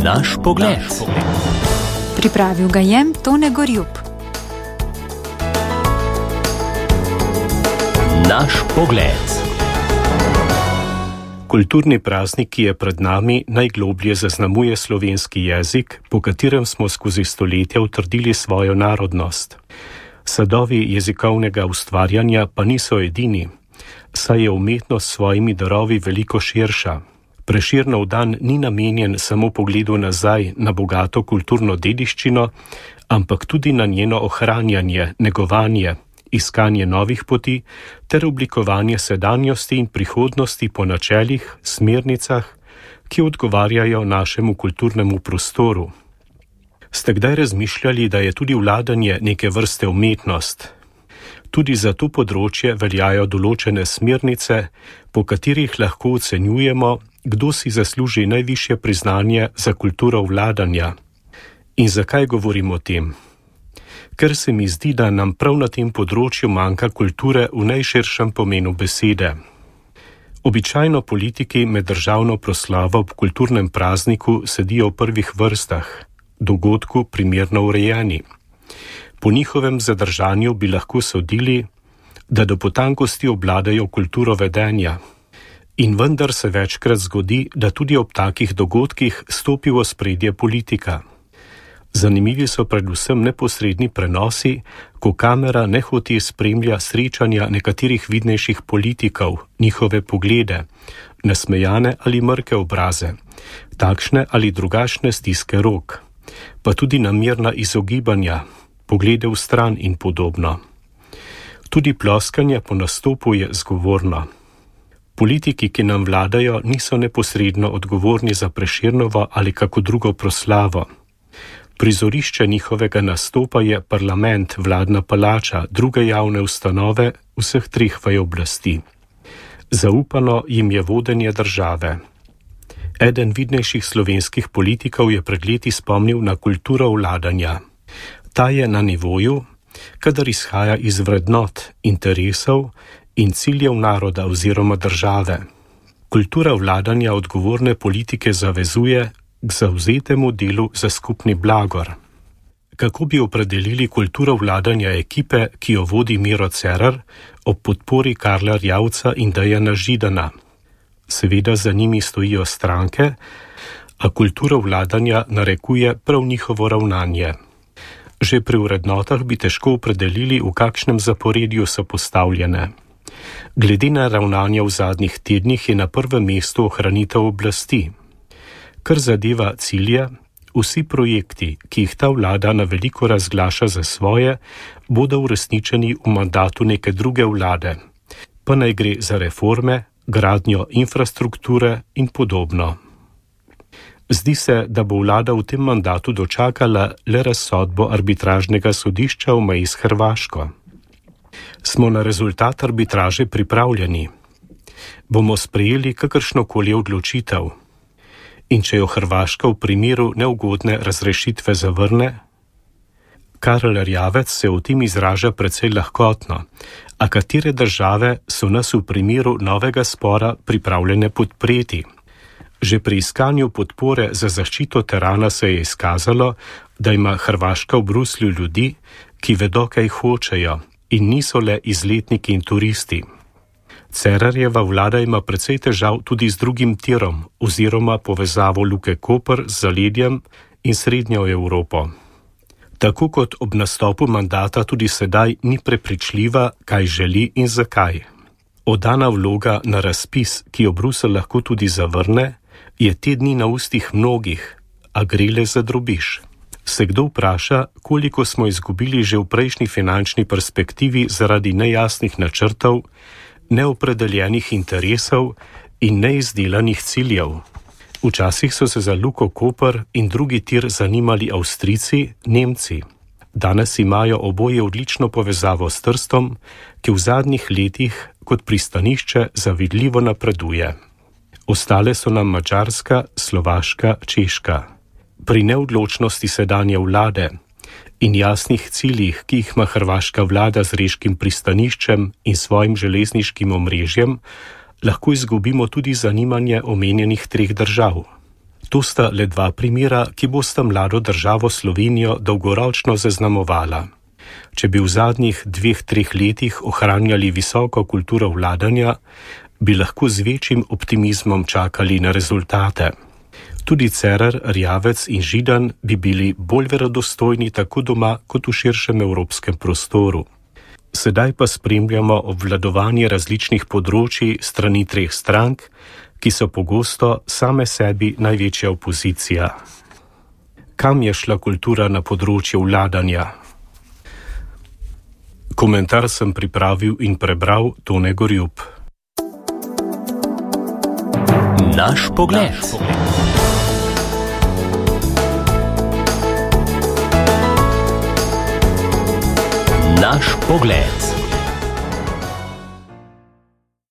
Naš pogled. Pripravil ga je Tone Gorjup. Naš pogled. Kulturni praznik, ki je pred nami, najgloblje zaznamuje slovenski jezik, po katerem smo skozi stoletja utrdili svojo narodnost. Sadovi jezikovnega ustvarjanja pa niso edini, saj je umetnost s svojimi darovi veliko širša. Prešernov dan ni namenjen samo pogledu nazaj na bogato kulturno dediščino, ampak tudi na njeno ohranjanje, negovanje, iskanje novih poti ter oblikovanje sedanjosti in prihodnosti po načelih, smernicah, ki odgovarjajo našemu kulturnemu prostoru. Ste kdaj razmišljali, da je tudi vladanje neke vrste umetnost? Tudi za to področje veljajo določene smernice, po katerih lahko ocenjujemo, kdo si zasluži najvišje priznanje za kulturo vladanja. In zakaj govorim o tem? Ker se mi zdi, da nam prav na tem področju manjka kulture v najširšem pomenu besede. Običajno politiki med državno proslavo ob kulturnem prazniku sedijo v prvih vrstah, dogodku primerno urejeni. Po njihovem zadržanju bi lahko sodili, da do potankosti obvladajo kulturo vedenja. In vendar se večkrat zgodi, da tudi ob takih dogodkih stopi v ospredje politika. Zanimivi so predvsem neposredni prenosi, ko kamera nehote spremlja srečanja nekaterih vidnejših politikov, njihove poglede, nasmejane ali mrke obraze, takšne ali drugačne stiske rok, pa tudi namerna izogibanja, poglede v stran in podobno. Tudi ploskanje po nastopu je zgovorno. Politiki, ki nam vladajo, niso neposredno odgovorni za Prešernovo ali kako drugo proslavo. Prizorišče njihovega nastopa je parlament, vladna palača, druge javne ustanove vseh treh vaj oblasti. Zaupano jim je vodenje države. Eden vidnejših slovenskih politikov je pred leti spomnil na kulturo vladanja. Ta je na nivoju, kadar izhaja iz vrednot, interesov in ciljev naroda oziroma države. Kultura vladanja odgovorne politike zavezuje k zavzetemu delu za skupni blagor. Kako bi opredelili kulturo vladanja ekipe, ki jo vodi Miro Cerar, ob podpori Karla Erjavca in Dejana Židana? Seveda za njimi stojijo stranke, a kulturo vladanja narekuje prav njihovo ravnanje. Že pri vrednotah bi težko opredelili, v kakšnem zaporedju so postavljene. Glede na ravnanje v zadnjih tednih je na prvem mestu ohranitev oblasti. Kar zadeva cilje, vsi projekti, ki jih ta vlada na veliko razglaša za svoje, bodo uresničeni v mandatu neke druge vlade, pa naj gre za reforme, gradnjo infrastrukture in podobno. Zdi se, da bo vlada v tem mandatu dočakala le razsodbo arbitražnega sodišča v meji s Hrvaško. Smo na rezultat arbitraže pripravljeni? Bomo sprejeli kakršnokoli odločitev? In če jo Hrvaška v primeru neugodne razrešitve zavrne? Karl Erjavec se o tem izraža precej lahkotno, a katere države so nas v primeru novega spora pripravljene podpreti? Že pri iskanju podpore za zaščito terana se je izkazalo, da ima Hrvaška v Bruslju ljudi, ki vedo, kaj hočejo in niso le izletniki in turisti. Cerarjeva vlada ima precej težav tudi z drugim tirom oziroma povezavo Luke Koper z zaledjem in srednjo Evropo. Tako kot ob nastopu mandata tudi sedaj ni prepričljiva, kaj želi in zakaj. Oddana vloga na razpis, ki jo Bruselj lahko tudi zavrne, je te dni na ustih mnogih, a gre le za drobiž. Se kdo vpraša, koliko smo izgubili že v prejšnji finančni perspektivi zaradi nejasnih načrtov, neopredeljenih interesov in neizdelanih ciljev? Včasih so se za Luko Koper in drugi tir zanimali Avstrijci, Nemci. Danes imajo oboje odlično povezavo s Trstom, ki v zadnjih letih kot pristanišče zavidljivo napreduje. Ostale so nam Madžarska, Slovaška, Češka. Pri neodločnosti sedanje vlade in jasnih ciljih, ki jih ima hrvaška vlada z reškim pristaniščem in svojim železniškim omrežjem, lahko izgubimo tudi zanimanje omenjenih treh držav. To sta le dva primera, ki bosta mlado državo Slovenijo dolgoročno zaznamovala. Če bi v zadnjih 2-3 letih ohranjali visoko kulturo vladanja, bi lahko z večjim optimizmom čakali na rezultate. Tudi Cerar, Erjavec in Židan bi bili bolj verodostojni tako doma kot v širšem evropskem prostoru. Sedaj pa spremljamo obvladovanje različnih področij strani 3 strank, ki so pogosto same sebi največja opozicija. Kam je šla kultura na področju vladanja? Komentar sem pripravil in prebral Tone Gorjup. Naš pogled. Naš pogled.